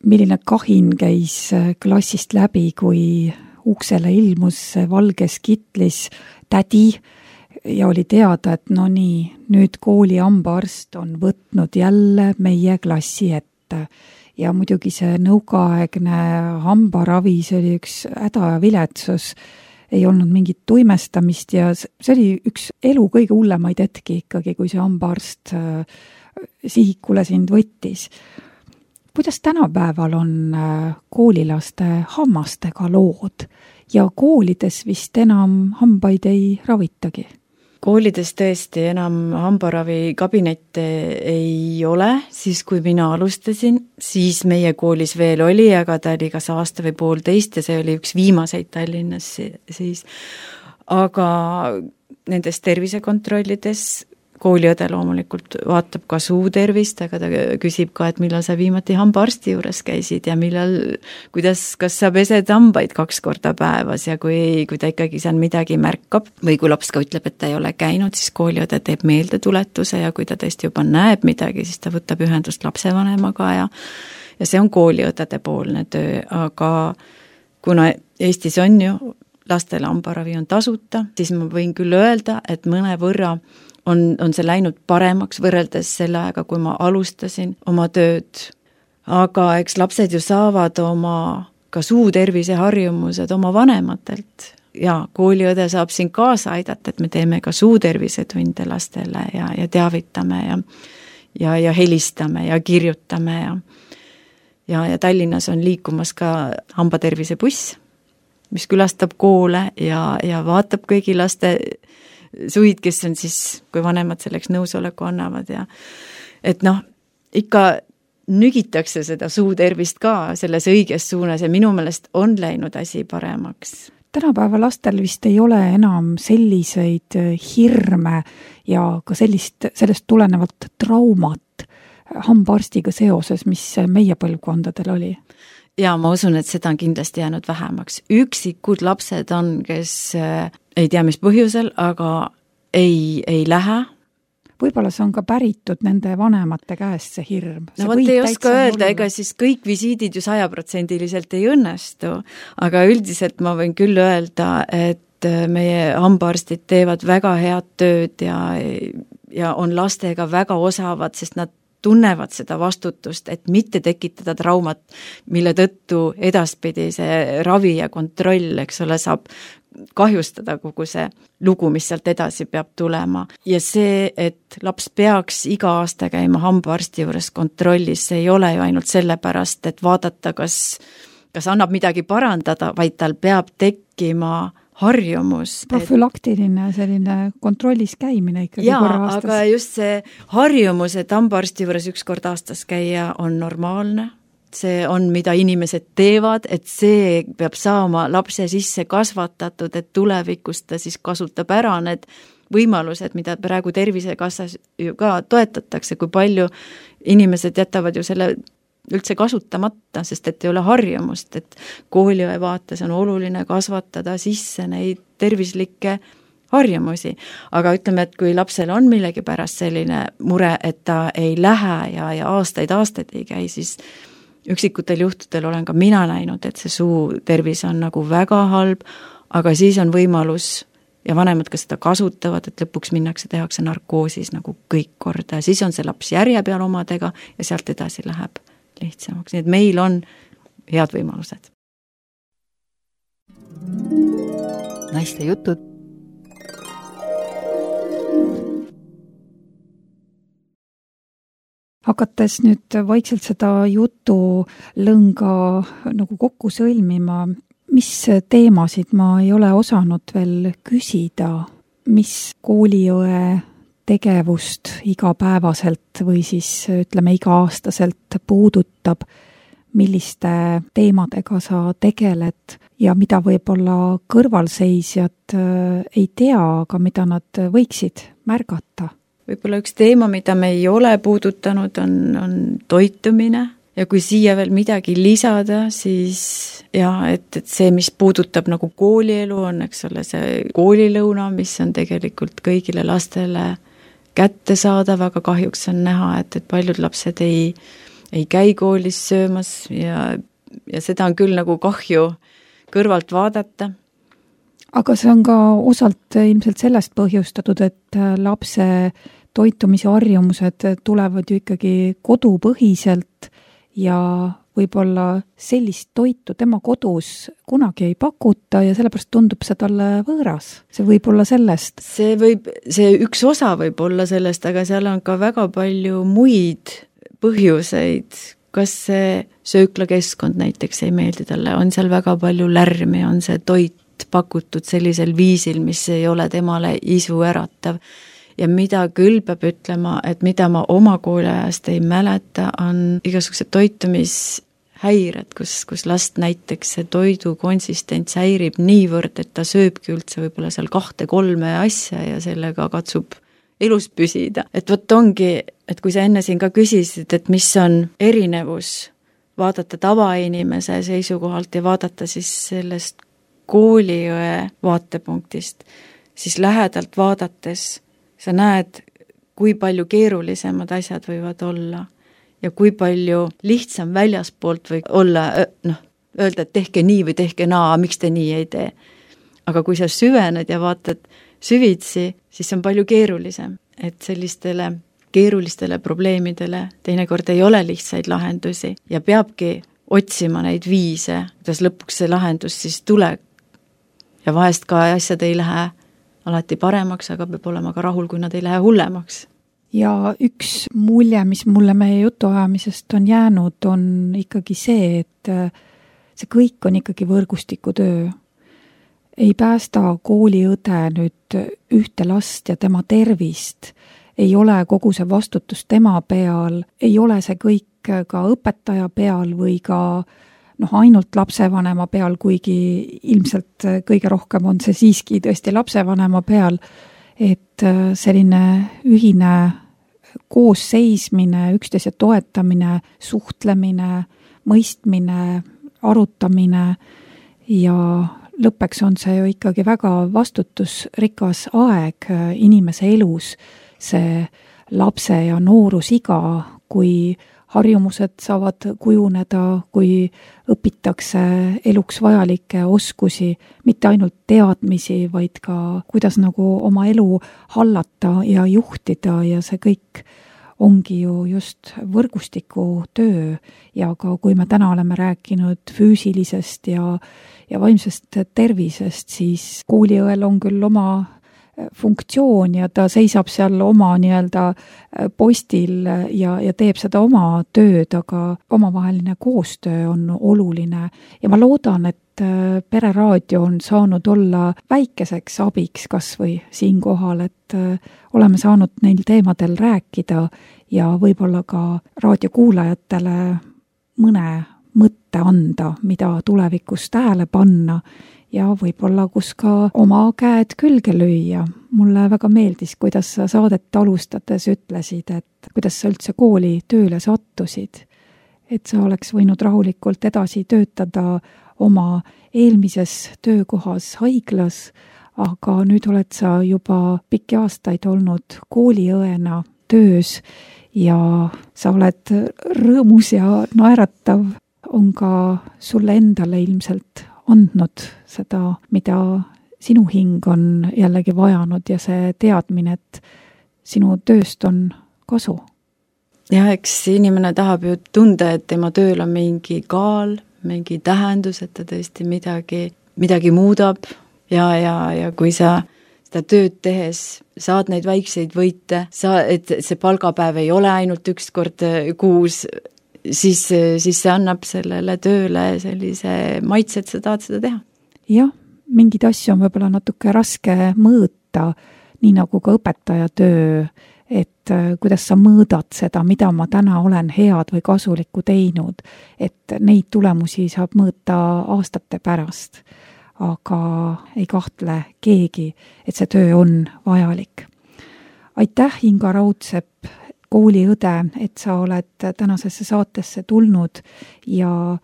milline kahin käis klassist läbi, kui uksele ilmus valges kitlis tädi ja oli teada, et no nii, nüüd kooli hambaarst on võtnud jälle meie klassi ette. Ja muidugi see nõukaaegne hambaravi, see oli üks häda ja viletsus, ei olnud mingit tuimestamist ja see oli üks elu kõige hullemaid hetki ikkagi, kui see hambaarst sihikule sind võttis. Kuidas tänapäeval on koolilaste hammastega lood ja koolides vist enam hambaid ei ravitagi? Koolides tõesti enam hambaravi kabinette ei ole, siis kui mina alustasin, siis meie koolis veel oli, aga ta oli kas aasta või poolteist ja see oli üks viimaseid Tallinnas siis. Aga nendes tervisekontrollides kooliõde loomulikult vaatab ka suu tervist, aga ta küsib ka, et millal sa viimati hambaarsti juures käisid ja millal, kuidas, kas sa pesed hambaid kaks korda päevas ja kui, kui ta ikkagi seal midagi märkab või kui laps ka ütleb, et ta ei ole käinud, siis kooliõde teeb meeldetuletuse ja kui ta tõesti juba näeb midagi, siis ta võtab ühendust lapsevanemaga ja, ja see on kooliõdede poolne töö, aga kuna Eestis on ju lastele hambaravi on tasuta, siis ma võin küll öelda, et mõne võrra on, on see läinud paremaks võrreldes selle aega, kui ma alustasin oma tööd. Aga eks lapsed ju saavad oma ka suutervise harjumused oma vanematelt ja kooliõde saab siin kaasa aidata, et me teeme ka suutervisetunde lastele ja, ja teavitame ja, ja, ja helistame ja kirjutame ja, ja, ja Tallinnas on liikumas ka hambatervise buss, mis külastab koole ja, ja vaatab kõigi laste suid, kes on siis, kui vanemad selleks nõusoleku annavad ja et noh, ikka nügitakse seda suutervist ka selles õiges suunas ja minu meelest on läinud asi paremaks. Tänapäeva lastel vist ei ole enam selliseid hirme ja ka sellist, sellest tulenevalt traumat hambaarstiga seoses, mis meie põlvkondadel oli. Ja ma usun, et seda on kindlasti jäänud vähemaks. Üksikud lapsed on, kes ei tea, mis põhjusel, aga ei, ei lähe. Võib-olla see on ka päritud nende vanemate käest see hirm. No vot ei oska öelda, ega siis kõik visiidid ju sajaprotsendiliselt ei õnnestu, aga üldiselt ma võin küll öelda, et meie hambaarstid teevad väga head tööd ja, ja on lastega väga osavad, sest nad tunnevad seda vastutust, et mitte tekitada traumat, mille tõttu edaspidi see ravi ja kontroll, eks ole, saab kahjustada kogu see lugu, mis sealt edasi peab tulema. Ja see, et laps peaks iga aasta käima hambaarsti juures kontrollis, see ei ole ju ainult sellepärast, et vaadata, kas, kas annab midagi parandada, vaid tal peab tekkima harjumus. Profülaktiline selline kontrollis käimine ikkagi jaa, korra aastas. Aga just see harjumus, et hambaarsti juures üks kord aastas käia on normaalne. See on, mida inimesed teevad, et see peab saama lapse sisse kasvatatud, et tulevikus ta siis kasutab ära need võimalused, mida praegu Tervisekassas ju ka toetatakse, kui palju inimesed jätavad ju selle üldse kasutamata, sest et ei ole harjumust, et kooliõe vaates on oluline kasvatada sisse neid tervislikke harjumusi. Aga ütleme, et kui lapsel on millegi pärast selline mure, et ta ei lähe ja, ja aastaid, aastaid ei käi, siis üksikutel juhtudel olen ka mina näinud, et see suu tervis on nagu väga halb, aga siis on võimalus ja vanemad ka seda kasutavad, et lõpuks minnakse, tehakse narkoosis nagu kõik korda ja siis on see laps järje peal omadega ja sealt edasi läheb lihtsamaks. Nii et meil on head võimalused. Naiste jutud. Hakates nüüd vaikselt seda jutu lõnga nagu kokku sõlmima, mis teemasid ma ei ole osanud veel küsida, mis kooliõe tegevust igapäevaselt või siis ütleme iga-aastaselt puudutab, milliste teemadega sa tegeled ja mida võib-olla kõrvalseisjad ei tea, aga mida nad võiksid märgata? Võib-olla üks teema, mida me ei ole puudutanud, on, on toitumine ja kui siia veel midagi lisada, siis jah, et, et see, mis puudutab nagu koolielu, on, eks ole, see koolilõuna, mis on tegelikult kõigile lastele kättesaadav, aga kahjuks on näha, et, et paljud lapsed ei, ei käi koolis söömas ja, ja seda on küll nagu kahju kõrvalt vaadata. Aga see on ka osalt ilmselt sellest põhjustatud, et lapse toitumise harjumused tulevad ju ikkagi kodupõhiselt ja võib-olla sellist toitu tema kodus kunagi ei pakuta ja sellepärast tundub see talle võõras. See võib olla sellest. See võib, see üks osa võib olla sellest, aga seal on ka väga palju muid põhjuseid. Kas see sööklakeskkond näiteks ei meeldi talle, on seal väga palju lärmi, on see toit pakutud sellisel viisil, mis ei ole temale isu äratav. Ja mida küll peab ütlema, et mida ma oma kooliajast ei mäleta, on igasugused toitumishäired, kus, kus last näiteks see toidu konsistents häirib niivõrd, et ta sööbki üldse võib-olla seal kahte-kolme asja ja sellega katsub elus püsida. Et võt ongi, et kui sa enne siin ka küsisid, et mis on erinevus vaadata tavainimese seisukohalt ja vaadata siis sellest kooliõe vaatepunktist, siis lähedalt vaadates sa näed, kui palju keerulisemad asjad võivad olla ja kui palju lihtsam väljaspoolt või olla, noh, öelda, et tehke nii või tehke naa, miks te nii ei tee. Aga kui sa süvened ja vaatad süvitsi, siis on palju keerulisem, et sellistele keerulistele probleemidele teinekord ei ole lihtsaid lahendusi ja peabki otsima neid viise, kuidas lõpuks see lahendus siis tuleb. Ja vahest ka asjad ei lähe alati paremaks, aga peab olema ka rahul, kui nad ei lähe hullemaks. Ja üks mulje, mis mulle meie jutuajamisest on jäänud, on ikkagi see, et see kõik on ikkagi võrgustiku töö. Ei päästa kooliõde nüüd ühte last ja tema tervist, ei ole kogu see vastutus tema peal, ei ole see kõik ka õpetaja peal või ka noh, ainult lapsevanema peal, kuigi ilmselt kõige rohkem on see siiski tõesti lapsevanema peal, et selline ühine koosseismine, üksteise toetamine, suhtlemine, mõistmine, arutamine ja lõppeks on see ju ikkagi väga vastutusrikas aeg inimese elus, see lapse ja noorusiga, kui harjumused saavad kujuneda, kui õpitakse eluks vajalikke oskusi, mitte ainult teadmisi, vaid ka kuidas nagu oma elu hallata ja juhtida ja see kõik ongi ju just võrgustiku töö ja ka kui me täna oleme rääkinud füüsilisest ja, ja vaimsest tervisest, siis kooliõel on küll oma funktsioon ja ta seisab seal oma nii-öelda postil ja, ja teeb seda oma tööd, aga omavaheline koostöö on oluline ja ma loodan, et Pereraadio on saanud olla väikeseks abiks kas või siinkohal, et oleme saanud neil teemadel rääkida ja võib-olla ka raadiokuulajatele mõne mõtte anda, mida tulevikus tähele panna ja võib-olla kus ka oma käed külge lüüa. Mulle väga meeldis, kuidas sa saadet alustades ütlesid, et kuidas sa üldse kooli tööle sattusid. Et sa oleks võinud rahulikult edasi töötada oma eelmises töökohas haiglas, aga nüüd oled sa juba pikki aastaid olnud kooliõena töös ja sa oled rõõmus ja naeratav, on ka sulle endale ilmselt andnud seda, mida sinu hing on jällegi vajanud ja see teadmine, et sinu tööst on kasu. Ja eks inimene tahab ju tunda, et tema tööl on mingi kaal, mingi tähendus, et ta tõesti midagi, midagi muudab ja, ja, ja kui sa seda tööd tehes saad neid väikseid võite, sa, et see palgapäev ei ole ainult üks kord kuus, siis, siis see annab sellele tööle sellise maitse, et sa tahad seda teha. Jah, mingid asju on võib-olla natuke raske mõõta, nii nagu ka õpetaja töö, et kuidas sa mõõdad seda, mida ma täna olen head või kasulikku teinud, et neid tulemusi saab mõõta aastate pärast. Aga ei kahtle keegi, et see töö on vajalik. Aitäh, Inga Raudsepp, kooliõde, et sa oled tänasesse saatesse tulnud ja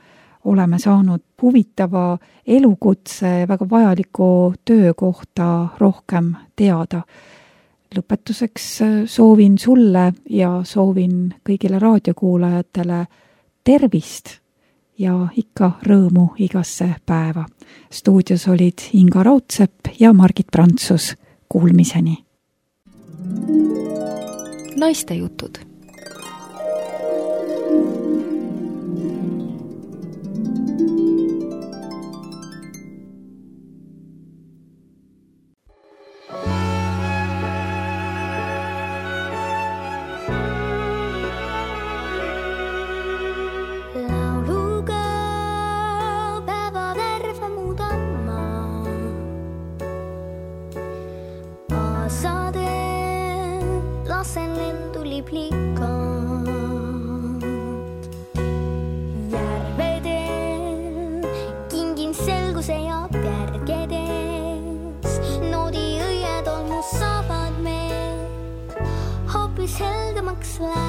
oleme saanud huvitava elukutse väga vajaliku töö kohta rohkem teada. Lõpetuseks soovin sulle ja soovin kõigile raadiokuulajatele tervist ja ikka rõõmu igasse päeva. Stuudios olid Inga Raudsepp ja Margit Prantsus. Kuulmiseni! Naiste jutud. Lasen lentuli plikkaat. Järvedel kingin selguse ja järgedes. Noodi õied on mu saavad meed, hoopis heldemaks läheb.